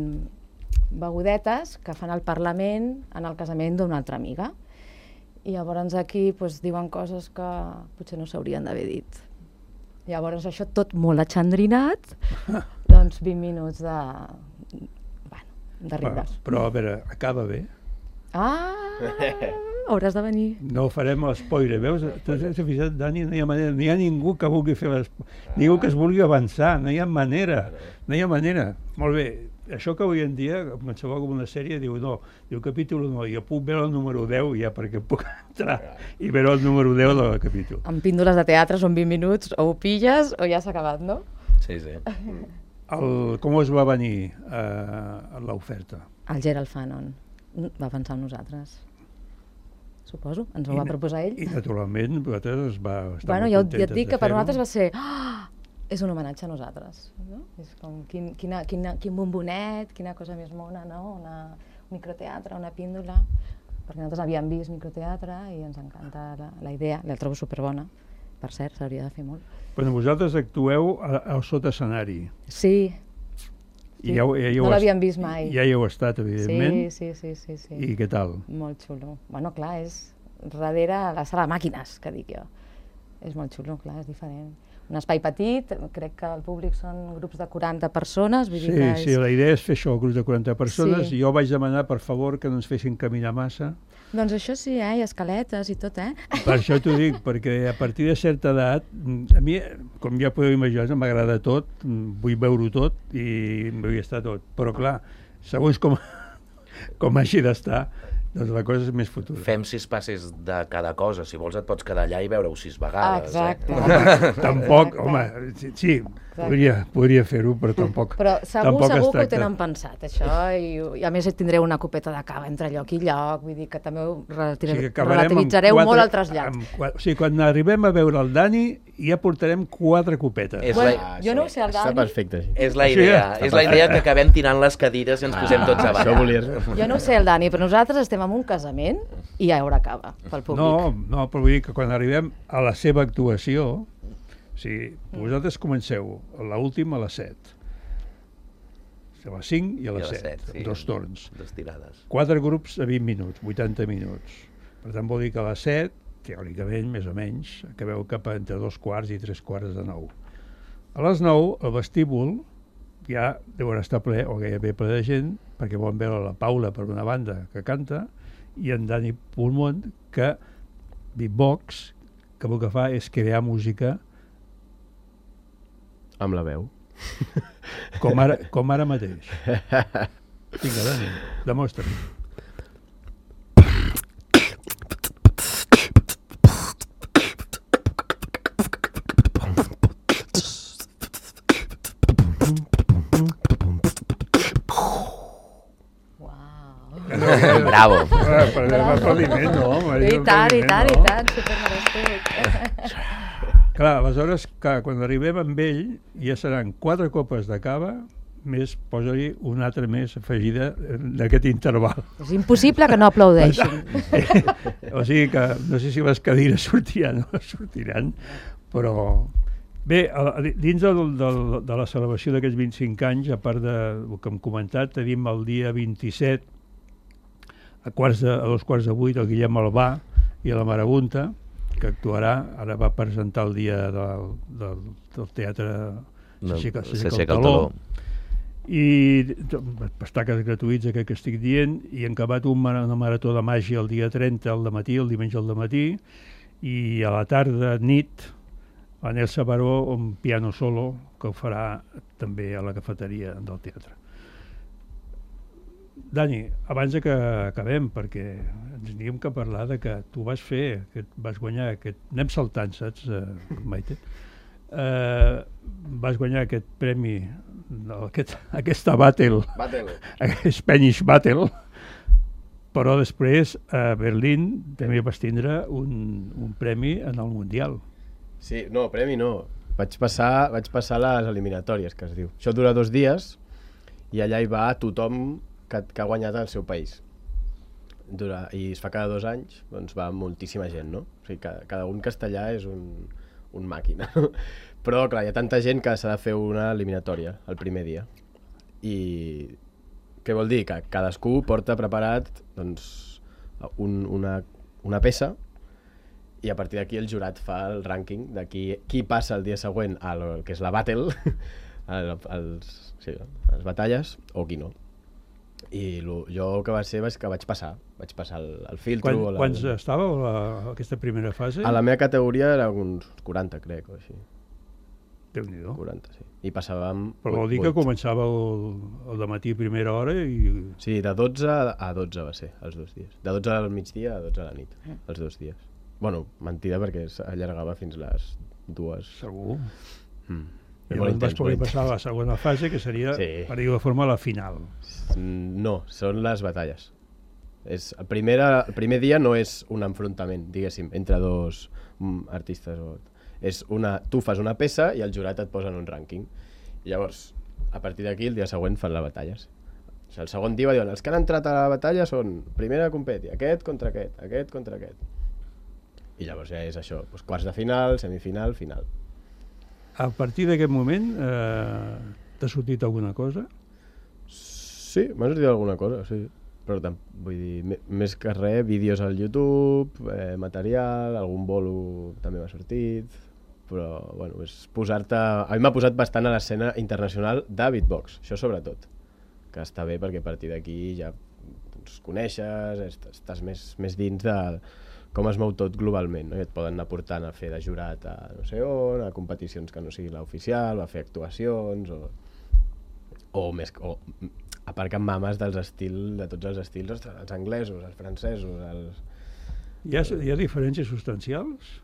begudetes que fan el Parlament en el casament d'una altra amiga. I llavors aquí pues, diuen coses que potser no s'haurien d'haver dit. Llavors això tot molt atxandrinat, doncs vint minuts de, bueno, de riures. Però, però a veure, acaba bé. Ah, hauràs de venir. No farem l'espoiler, veus? T'has fixat, Dani, no hi ha manera, no hi ha ningú que vulgui fer l'espoiler, ningú que es vulgui avançar, no hi ha manera, no hi ha manera. Molt bé, això que avui en dia, qualsevol com una sèrie, diu no, diu capítol no, jo puc veure el número deu ja perquè puc entrar i veure el número deu del capítol. Amb píndoles de teatre són vint minuts, o ho pilles o ja s'ha acabat, no? Sí, sí. El, com us va venir uh, l'oferta? El Gerald Fanon va pensar en nosaltres. Suposo, ens ho I, va proposar ell. I naturalment vosaltres es va estar bueno, molt ja, contentes ja et dic que per fer-ho. nosaltres va ser oh, és un homenatge a nosaltres, no? És com quin, quina, quina, quin bombonet, quina cosa més mona, no? Una, un microteatre, una píndola, perquè nosaltres havíem vist microteatre i ens encanta la, la idea, la trobo superbona, per cert, s'hauria de fer molt. Però vosaltres actueu al sota escenari. Sí. I ja, ja, ja no l'havíem vist mai. Ja hi heu estat, evidentment. Sí, sí, sí, sí, sí. I què tal? Molt xulo. Bueno, clar, és darrere la sala de màquines, que dic jo. És molt xulo, clar, és diferent. Un espai petit, crec que el públic són grups de quaranta persones. Vull sí, dir que és... sí, la idea és fer això, grups de quaranta persones. Sí. Jo vaig demanar, per favor, que no ens fessin caminar massa. Doncs això sí, eh? I escaletes i tot, eh? Per això t'ho dic, perquè a partir de certa edat, a mi, com ja podeu imaginar, m'agrada tot, vull veure-ho tot i vull estar tot. Però clar, segons com, com hagi d'estar, Doncs la cosa és més futura. Fem sis passes de cada cosa. Si vols et pots quedar allà i veure-ho sis vegades. Exacte. Eh? Tampoc, home, sí, sí podria, podria fer-ho, però tampoc. Però segur, tampoc segur que ho tenen pensat, això, i, i a més tindreu una copeta de cava entre lloc i lloc, vull dir que també ho relativ... sí, relativitzareu quatre, molt el trasllat. Quatre, o sigui, quan arribem a veure el Dani, ja portarem quatre copetes. És bueno, la... jo no ho sé, el Dani... Està perfecte. Sí. És la idea, sí, és la idea que acabem tirant les cadires i ens ah, posem tots a ballar. Això volies. Jo no ho sé, el Dani, però nosaltres estem en un casament i hi haurà cava pel públic. No, no, però vull dir que quan arribem a la seva actuació, o sigui, vosaltres comenceu a l'última a les set, a les cinc i a les set, sí, dos torns. Dos tirades. Quatre grups a vint minuts, vuitanta minuts. Per tant, vol dir que a les set, teòricament, més o menys, acabeu cap a entre dos quarts i tres quarts de nou. A les nou, el vestíbul ja deu estar ple, o gairebé ple de gent, perquè volen veure la Paula, per una banda, que canta, i en Dani Pulmont, que beatbox, que el que fa és crear música amb la veu. Com ara, com ara mateix. Vinga, Dani, demostra-ho. Bravo. Per l'aplaudiment, no, home. I tant, i tant, i tant, supermerescut. Clar, aleshores, clar, quan arribem amb ell, ja seran quatre copes de cava, més, posa-li una altra més afegida d'aquest interval. És impossible que no aplaudeixin. O sigui que, no sé si les cadires sortiran o no sortiran, però... Bé, dins del, del, de la celebració d'aquests vint-i-cinc anys, a part del que hem comentat, tenim el dia vint-i-set, a, quarts de, a dos quarts de vuit, el Guillem Albà i la Marabunta, que actuarà, ara va presentar el dia del, del, del teatre S'aixeca el taló, i espectacles gratuïts, aquest que estic dient, i han acabat un, una marató de màgia el dia trenta, al dematí, el diumenge al dematí, i a la tarda, nit, a Nelsa Baró, un piano solo, que ho farà també a la cafeteria del teatre. Dani, abans de que acabem, perquè ens havíem que parlar de que tu vas fer, que vas guanyar aquest... Anem saltant, saps, uh, Maite? Uh, vas guanyar aquest premi, aquest, aquesta battle, battle. Spanish Battle, però després a Berlín també vas tindre un, un premi en el Mundial. Sí, no, premi no. Vaig passar, vaig passar les eliminatòries, que es diu. Això dura dos dies i allà hi va tothom que, que ha guanyat el seu país. Dura, i es fa cada dos anys, doncs va moltíssima gent, no? O sigui, cada, cada un castellà és un, un màquina. Però, clar, hi ha tanta gent que s'ha de fer una eliminatòria el primer dia. I què vol dir? Que cadascú porta preparat doncs, un, una, una peça, i a partir d'aquí el jurat fa el rànquing de qui, qui passa el dia següent al que és la battle, al, als, sí, a les batalles, o qui no. I lo, jo el que va ser és que vaig passar, vaig passar el, el filtro. Quan, la, quants estàveu a la, aquesta primera fase? A la meva categoria era uns quaranta, crec, o així. Déu-n'hi-do. quaranta, sí. I passàvem... Però vol dir que començàveu el dematí a primera hora i... Sí, de dotze a dotze va ser, els dos dies. De dotze al migdia a dotze a la nit, els dos dies. Bueno, mentida, perquè s'allargava fins les dues. Segur. Mm. I llavors vas poder passar a la segona fase, que seria, sí, per dir-ho de forma, la final. No, són les batalles. És, el, primera, el primer dia no és un enfrontament, diguéssim, entre dos mm, artistes. O, és una, tu fas una peça i el jurat et posa en un rànquing. I llavors, a partir d'aquí, el dia següent fan les batalles. O sigui, el segon dia diuen, els que han entrat a la batalla són primera competi, aquest contra aquest, aquest contra aquest. I llavors ja és això, doncs quarts de final, semifinal, final. A partir d'aquest moment, eh, t'ha sortit alguna cosa? Sí, m'ha sortit alguna cosa, sí. Però vull dir, més que res, vídeos al YouTube, eh, material, algun bolo també m'ha sortit, però, bueno, és posar-te... A mi m'ha posat bastant a l'escena internacional de beatbox, això sobretot, que està bé perquè a partir d'aquí ja doncs, coneixes, estàs més, més dins de... com es mou tot globalment, no? I et poden anar portant a fer de jurat a no sé on, a competicions que no sigui l'oficial, a fer actuacions, o, o, més, o aparquen mames dels estils, de tots els estils, ostres, els anglesos, els francesos, els... Hi ha, hi ha diferències substancials?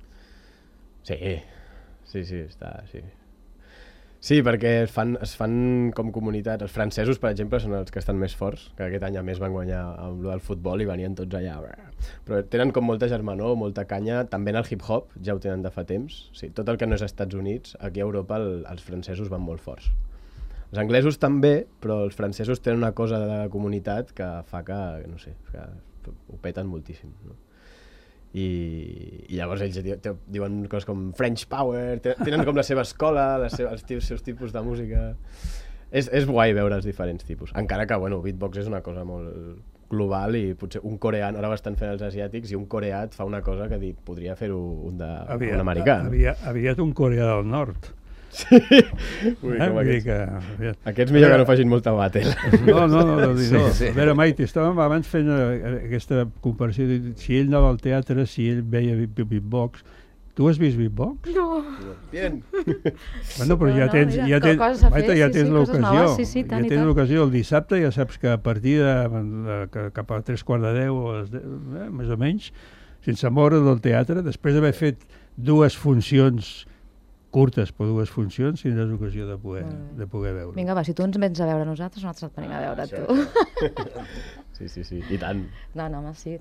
Sí, sí, sí, està, sí. Sí, perquè es fan, es fan com comunitats. Els francesos, per exemple, són els que estan més forts, que aquest any a més van guanyar amb el futbol i venien tots allà. Però tenen com molta germanor, molta canya, també en el hip-hop, ja ho tenen de fa temps. Sí, tot el que no és Estats Units, aquí a Europa el, els francesos van molt forts. Els anglesos també, però els francesos tenen una cosa de comunitat que fa que, no sé, que ho peten moltíssim, no? I, i llavors ells diuen coses com French Power, tenen com la seva escola, les seves, els, els seus tipus de música. És, és guai veure els diferents tipus, encara que, bueno, beatbox és una cosa molt global i potser un coreà, ara ho estan fent els asiàtics, i un coreà et fa una cosa que dit, podria fer-ho un, de, aviat, un americà. Aviat, aviat un coreà del nord. Sí. Ui, eh? aquests. Que, aquests millor que no facin molta battle. No, no, no, no, sí, no. Sí. A veure, Maite, estàvem abans fent aquesta comparació de si ell anava al teatre, si ell veia beatbox. Tu has vist beatbox? No. Bien. Bueno, però ja tens, ja tens, Maite, ja tens l'ocasió. Ja tens l'ocasió el dissabte, ja saps que a partir de cap a tres quarts de deu, més o menys, sense moure del teatre, després d'haver fet dues funcions curtes, per dues funcions, tindràs ocasió de poder, mm. de poder veure. Vinga, va, si tu ens vens a veure nosaltres, nosaltres et venim a veure ah, tu. Sí, sí, sí, i tant. No, no, home, sí,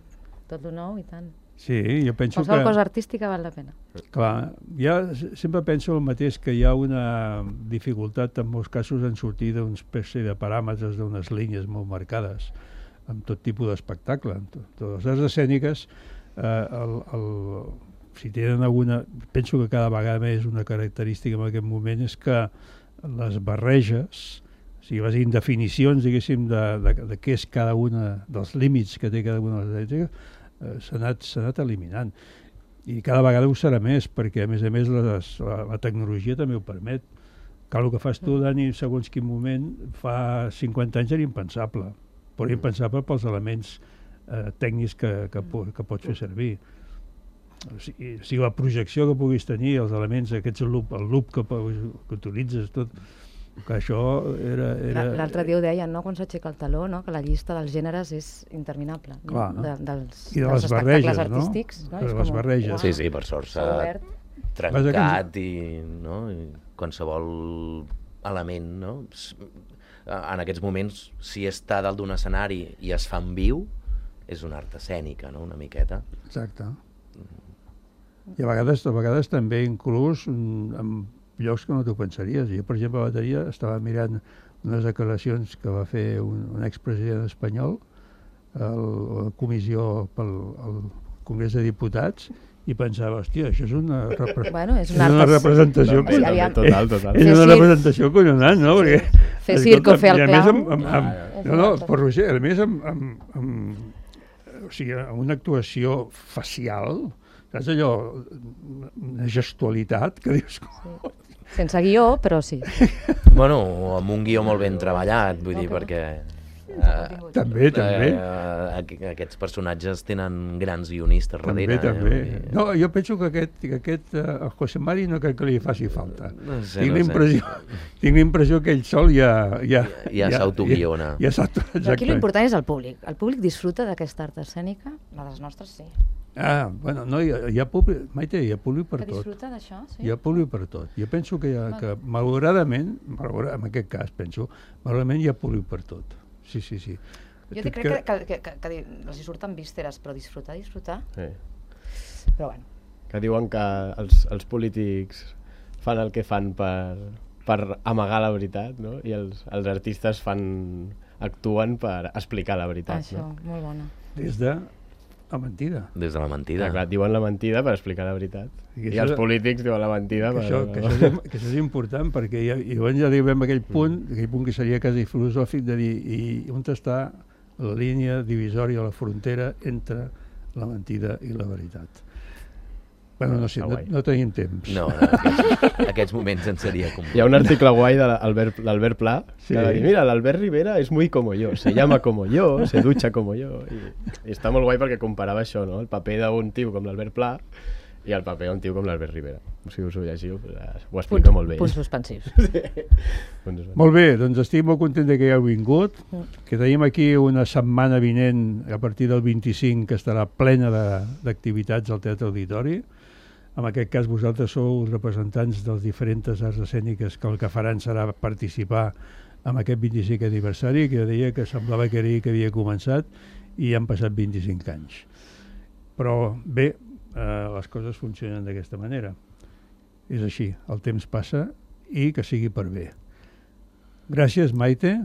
tot lo nou, i tant. Sí, jo penso Qualsevol que... cosa artística val la pena. Clar, ja sempre penso el mateix, que hi ha una dificultat en molts casos en sortir d'una espècie de paràmetres, d'unes línies molt marcades, amb tot tipus d'espectacle. Totes les arts escèniques, eh, el... el si tenen alguna, penso que cada vegada més una característica en aquest moment és que les barreges, o sigui, les indefinicions, diguéssim, de, de, de què és cada una dels límits que té cada una de les ètiques, eh, s'ha anat, s'ha anat eliminant. I cada vegada ho serà més, perquè a més a més les, la, la tecnologia també ho permet. Que el que fas tu, Dani, segons quin moment, fa cinquanta anys era impensable, però impensable pels elements eh, tècnics que, que, que pots fer servir. O sigui, o sigui, la projecció que puguis tenir, els elements, aquests loop, el loop que, que utilitzes, tot, que això era... era... L'altre dia ho deien, no?, quan s'aixeca el taló, no?, que la llista dels gèneres és interminable. No? Clar, no? De, dels, I de dels les barreges, artístics, no? no? De És les com, barreges. Wow. Sí, sí, per sort s'ha trencat i, no? I qualsevol element, no? En aquests moments, si està dalt d'un escenari i es fa en viu, és una art escènica, no?, una miqueta. Exacte. I a vegades, a vegades també inclús en llocs que no t'ho pensaries. Jo, per exemple, a la bateria estava mirant unes declaracions que va fer un, un expresident espanyol a la comissió pel al Congrés de Diputats i pensava, hòstia, això és una, repre bueno, és una, és una representació no, no, total, total. És una representació collonant, no? Perquè, fer circo, fer el clau. Amb, amb, amb, no, no, per Roger, a més amb, amb, amb, o sigui, amb una actuació facial, saps allò, una gestualitat que dius... Sí. Sense guió, però sí. Bueno, amb un guió molt ben treballat, vull dir, perquè... Uh, també, també. Uh, uh, aquests personatges tenen grans guionistes darrere. També, també. Eh? No, jo penso que aquest, que aquest uh, José Mari no crec que li faci falta. No sé, tinc no l'impressió sé. Tinc l'impressió que ell sol ja... Ja, ja, ja s'autoguiona. Ja, ja aquí l'important és el públic. El públic disfruta d'aquesta art escènica, la dels nostres sí. Ah, bueno, no, hi ha, hi ha públic, Maite, hi ha públic per que tot. Que disfruta d'això, sí. Hi ha públic per tot. Jo penso que, hi ha, que malauradament, malauradament, en aquest cas penso, malauradament hi ha públic per tot. Sí, sí, sí. Jo crec que, que, que, que, que els hi surten vísceres, però disfrutar, disfrutar... Sí. Però bueno. Que diuen que els, els polítics fan el que fan per, per amagar la veritat, no? I els, els artistes fan, actuen per explicar la veritat. Això, no? Molt bona. Des de la mentida. Des de la mentida. Ah, clar, diuen la mentida per explicar la veritat. I, I els polítics diuen la mentida que per... Això, que, això és, que això és important, perquè ja, i llavors ja arribem a aquell punt, mm. aquell punt que seria quasi filosòfic, de dir, i on està la línia divisòria, la frontera entre la mentida i la veritat. Bueno, no sé, no, no tenim temps. No, no aquests, aquests moments en seria com... Hi ha un article guai de l'Albert Pla, sí. Que va dir, mira, l'Albert Rivera és muy como yo, se llama como yo, se ducha como yo. I, i està molt guai perquè comparava això, no? El paper d'un tio com l'Albert Pla I al paper un tio com l'Albert Rivera. Si us ho llegiu, ho explica molt bé. Punts suspensius. Sí. Molt bé, doncs estic molt content que heu vingut, que tenim aquí una setmana vinent, a partir del vint-i-cinc, que estarà plena d'activitats al Teatre Auditori. En aquest cas vosaltres sou els representants dels diferents arts escèniques que el que faran serà participar en aquest vint-i-cinquè aniversari, que jo deia que semblava que era ahir que havia començat i han passat vint-i-cinc anys. Però bé, eh, les coses funcionen d'aquesta manera. És així, el temps passa i que sigui per bé. Gràcies, Maite.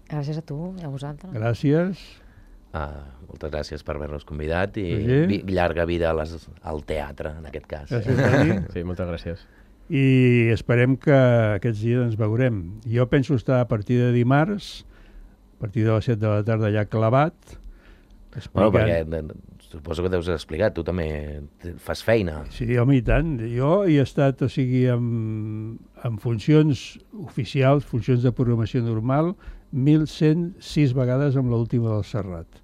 Gràcies a tu i a vosaltres. Gràcies. Ah, moltes gràcies per haver-nos convidat i Roger. llarga vida a les, al teatre, en aquest cas. Gràcies, Dani. Sí, moltes gràcies. I esperem que aquests dies ens veurem. Jo penso estar a partir de dimarts, a partir de les set de la tarda allà clavat. Bueno, perquè suposo que deus explicar, tu també fas feina. Sí, home, i tant. Jo hi he estat, o sigui, amb, amb funcions oficials, funcions de programació normal, mil cent sis vegades amb l'última del Serrat.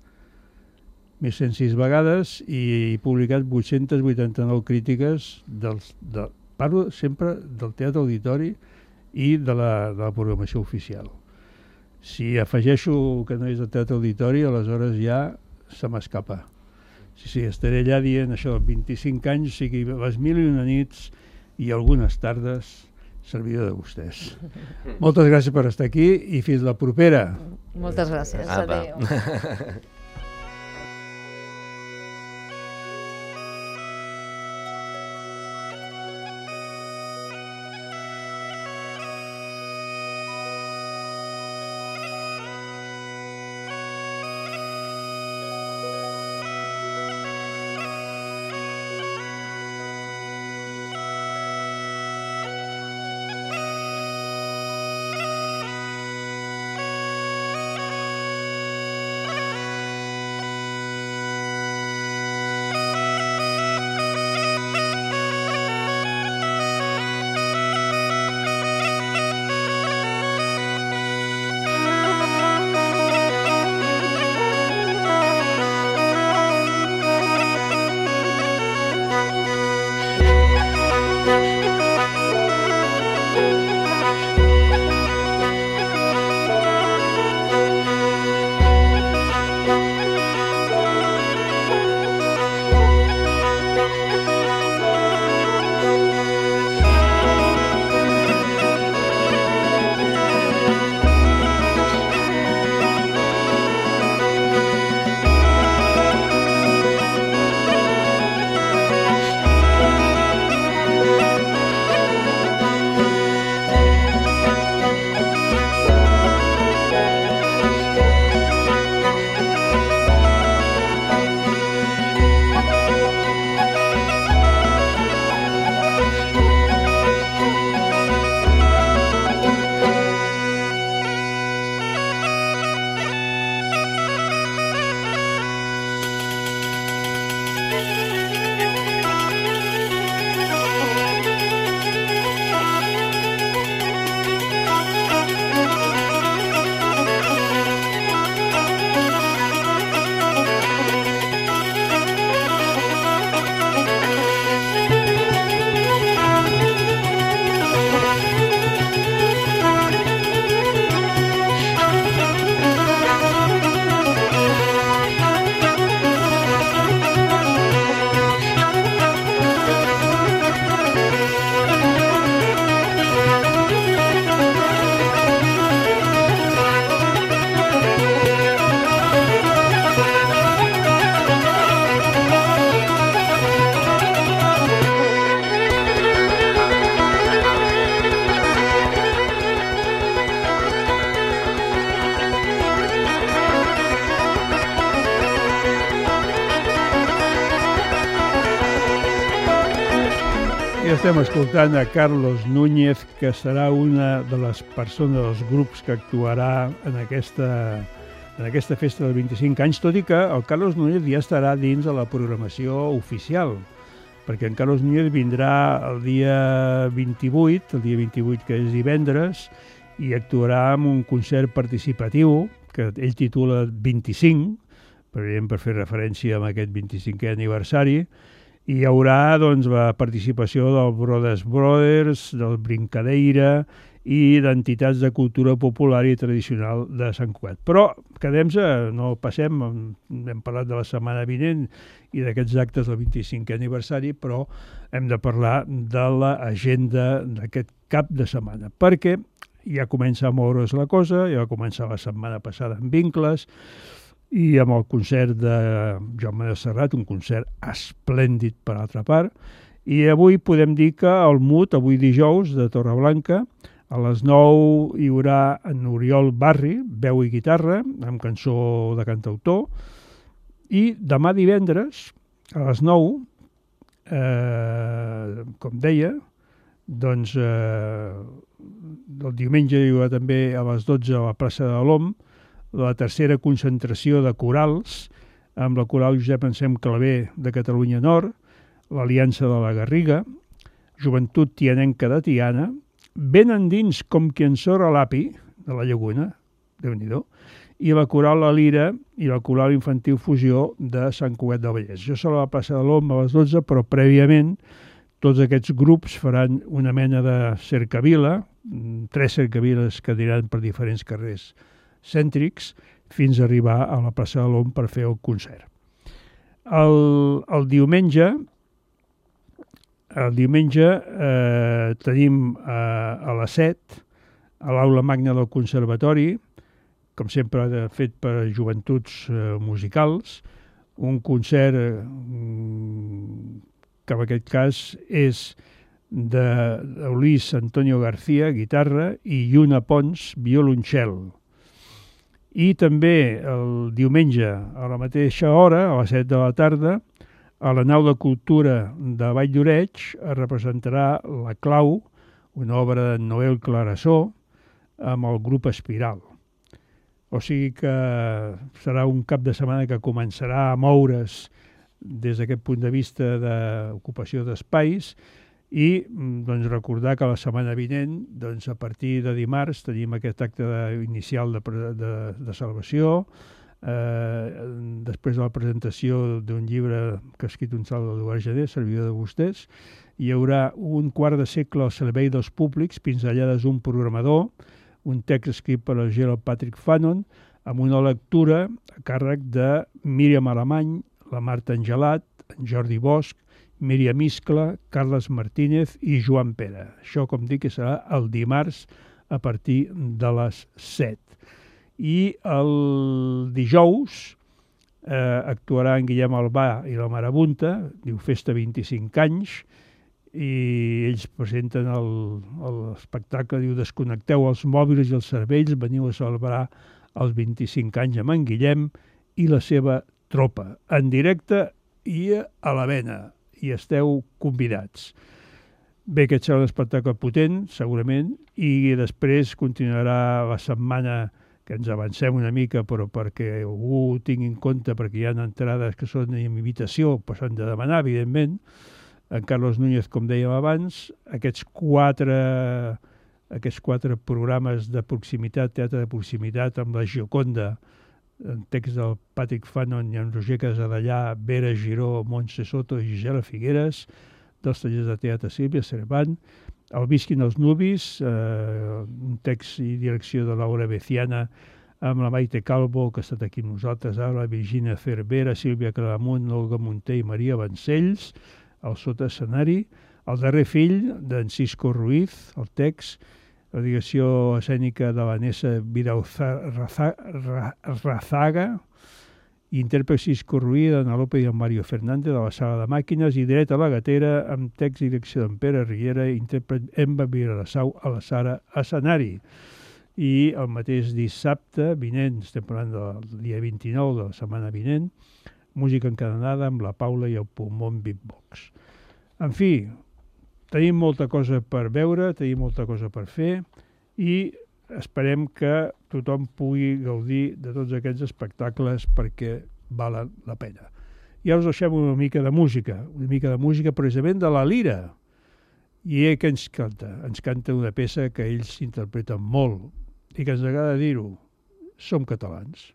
mil cent sis vegades i he publicat vuit-centes vuitanta-nou crítiques dels, de, parlo sempre del Teatre Auditori i de la, de la programació oficial. Si afegeixo que no és el Teatre Auditori, aleshores ja se m'escapa. Sí, sí, estaré allà dient això, vint-i-cinc anys, o sigui, les mil i una nits i algunes tardes, servidor de vostès. Moltes gràcies per estar aquí i fins la propera. Moltes gràcies. Apa. Adéu. Estem escoltant a Carlos Núñez, que serà una de les persones dels grups que actuarà en aquesta, en aquesta festa dels vint-i-cinc anys, tot i que el Carlos Núñez ja estarà dins de la programació oficial, perquè en Carlos Núñez vindrà el dia vint-i-vuit, el dia vint-i-vuit que és divendres, i actuarà amb un concert participatiu que ell titula vint-i-cinc, per fer referència a aquest vint-i-cinquè aniversari, I hi haurà doncs, la participació del Brothers Brothers, del Brincadeira i d'entitats de cultura popular i tradicional de Sant Cugat. Però quedem-se, no passem, hem parlat de la setmana vinent i d'aquests actes del vint-i-cinquè aniversari, però hem de parlar de l'agenda d'aquest cap de setmana, perquè ja comença a moure's la cosa, ja va començar la setmana passada amb Vincles, i amb el concert de Joan Manuel Serrat, un concert esplèndid per altra part, i avui podem dir que el M U T, avui dijous, de Torreblanca, a les nou hi haurà en Oriol Barri, veu i guitarra, amb cançó de cantautor, i demà divendres, a les nou, eh, com deia, doncs eh, el diumenge hi haurà també a les dotze a la plaça de l'Om, la tercera concentració de corals, amb la coral Josep Ensem Clavé de Catalunya Nord, l'Aliança de la Garriga, Joventut Tianenca de Tiana, ben endins com qui ensora l'Api, de la Llaguna, Déu-n'hi-do, i la coral La Lira i la coral infantil Fusió de Sant Cugat del Vallès. Jo serà a la plaça de l'Om a les dotze, però prèviament tots aquests grups faran una mena de cercavila, tres cercaviles que aniran per diferents carrers cèntrics, fins a arribar a la plaça de l'Om per fer el concert. El, el diumenge, el diumenge eh, tenim eh, a les set, a l'aula magna del Conservatori, com sempre fet per joventuts eh, musicals, un concert eh, que en aquest cas és de Luis Antonio García, guitarra, i Lluna Pons, violoncel. I també el diumenge, a la mateixa hora, a les set de la tarda, a la nau de cultura de Vall d'Oreig es representarà La Clau, una obra de Noel Clarasó, amb el grup Espiral. O sigui que serà un cap de setmana que començarà a moure's des d'aquest punt de vista d'ocupació d'espais, i doncs, recordar que la setmana vinent, doncs, a partir de dimarts, tenim aquest acte de, inicial de, de, de salvació, eh, després de la presentació d'un llibre que ha escrit un tal Eduard Jané, servidor de vostès, hi haurà un quart de segle al servei dels públics, pinzellades d'un programador, un text escrit per el Gerald Patrick Fanon, amb una lectura a càrrec de Míriam Alemany, la Marta Angelat, en Jordi Bosch, Míriam Iscla, Carles Martínez i Joan Pere. Això, com dic, serà el dimarts a partir de les set. I el dijous eh, actuarà en Guillem Albà i la Marabunta, diu Festa vint-i-cinc anys, i ells presenten l'espectacle, diu Desconnecteu els mòbils i els cervells, veniu a celebrar els vint-i-cinc anys amb en Guillem i la seva tropa, en directe i a la vena, i esteu convidats. Bé, aquest serà un espectacle potent, segurament, i després continuarà la setmana, que ens avancem una mica, però perquè algú ho tingui en compte, perquè hi ha entrades que són en invitació, però s'han de demanar, evidentment. En Carlos Núñez, com dèiem abans, aquests quatre, aquests quatre programes de proximitat, teatre de proximitat, amb la Gioconda, en text del Patrick Fanon i en Roger Casadellà, Vera Giró, Montse Soto i Gisela Figueres, dels tallers de teatre Sílvia Cervant, El visquin els nubis, eh, un text i direcció de Laura Beciana, amb la Maite Calvo, que ha estat aquí amb nosaltres ara, Virginia Cervera, Sílvia Claramunt, Olga Munté i Maria Vancells, el sota escenari, El darrer fill, d'en Cisco Ruiz, el text, la direcció escènica de Vanessa Vidal-Razaga, intèrpret Cisco Ruiz, d'Anna López i en Mario Fernández, de la sala de màquines, i dret a la gatera, amb text i direcció d'en Pere Riera, intèrpret Emma Viralassau a la sala escenari. I el mateix dissabte vinent, estem parlant del dia vint-i-nou de la setmana vinent, música encadenada amb la Paula i el Pulmón Beatbox. En fi, tenim molta cosa per veure, tenim molta cosa per fer i esperem que tothom pugui gaudir de tots aquests espectacles perquè valen la pena. I ara us deixem una mica de música, una mica de música precisament de la Lira. I ell que ens canta? Ens canta una peça que ells interpreten molt i que ens agrada dir-ho, som catalans.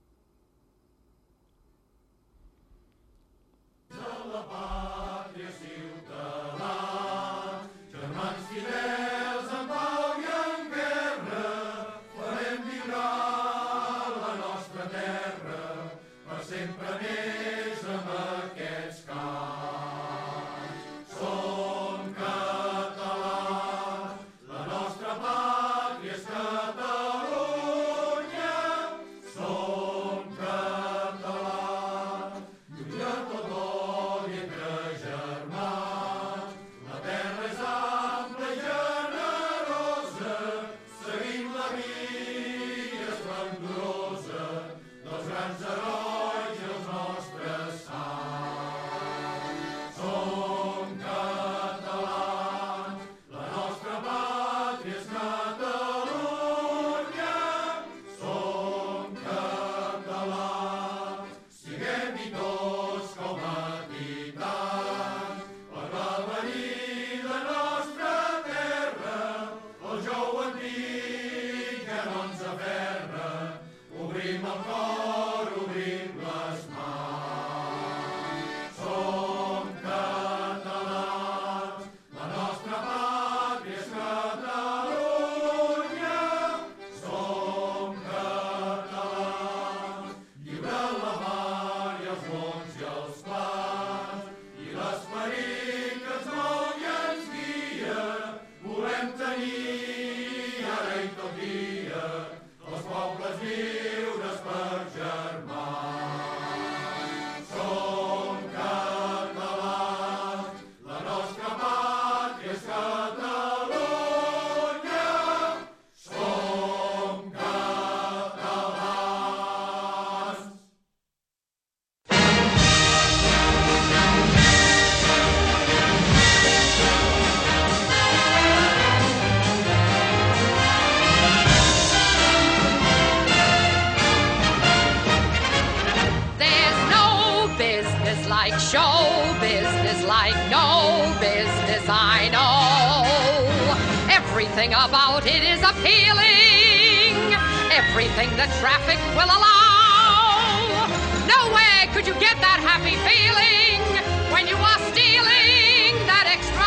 De la pàtria sempre més amb aquests cants. Som catalans, la nostra pàtria és Catalunya. Som catalans, lluny de tot odi entre germans. La terra és ampla i generosa, seguim la via esplendorosa dels grans herois i els nostres sants. Som catalans, la nostra pàtria és Catalunya. Som catalans, siguem-hi tots com a titans, per va venir la nostra terra, el jou antic que no ens aferra. Obrim el cor, obrim les mans. Som catalans, la nostra pàtria és Catalunya. Som catalans, lliure la mar i els mons i els plans, i l'esperit que ens mou i ens guia. Volem tenir ara i tot dia els pobles lliures per germans. Som catalans, la nostra pàtria és Catalunya. Som catalans. There's no business like show business, like no business I know. Everything about it is appealing, everything the traffic will allow. Nowhere could you get that happy feeling when you are stealing that extra